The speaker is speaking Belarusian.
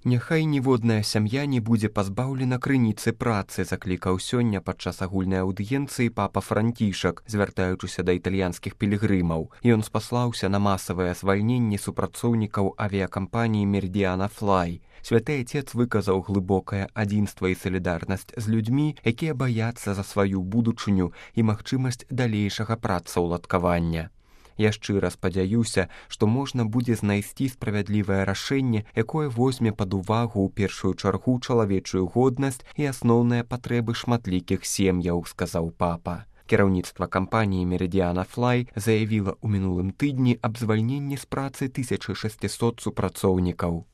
Няхай ніводная сям'я не будзе пазбаўлена крыніцы працы, заклікаў сёння падчас агульнай аўдыенцыі папа Францішак, звяртаючыся да італьянскіх пілігрымаў. Ён спаслаўся на масавыя звальненні супрацоўнікаў авіякампаніі «Меридиана Флай». Святы Отец выказаў глыбокае адзінства і салідарнасць з людзьмі, якія баяцца за сваю будучыню і магчымасць далейшага працаўладкавання. Я шчыра спадзяюся, што можна будзе знайсці справядлівае рашэнне, якое возьме пад увагу ў першую чаргу чалавечую годнасць і асноўныя патрэбы шматлікіх сем'яў, сказаў папа. Кіраўніцтва кампаніі «Меридиана Флай» заявіла ў мінулым тыдні аб звальненні з працы 1600 супрацоўнікаў.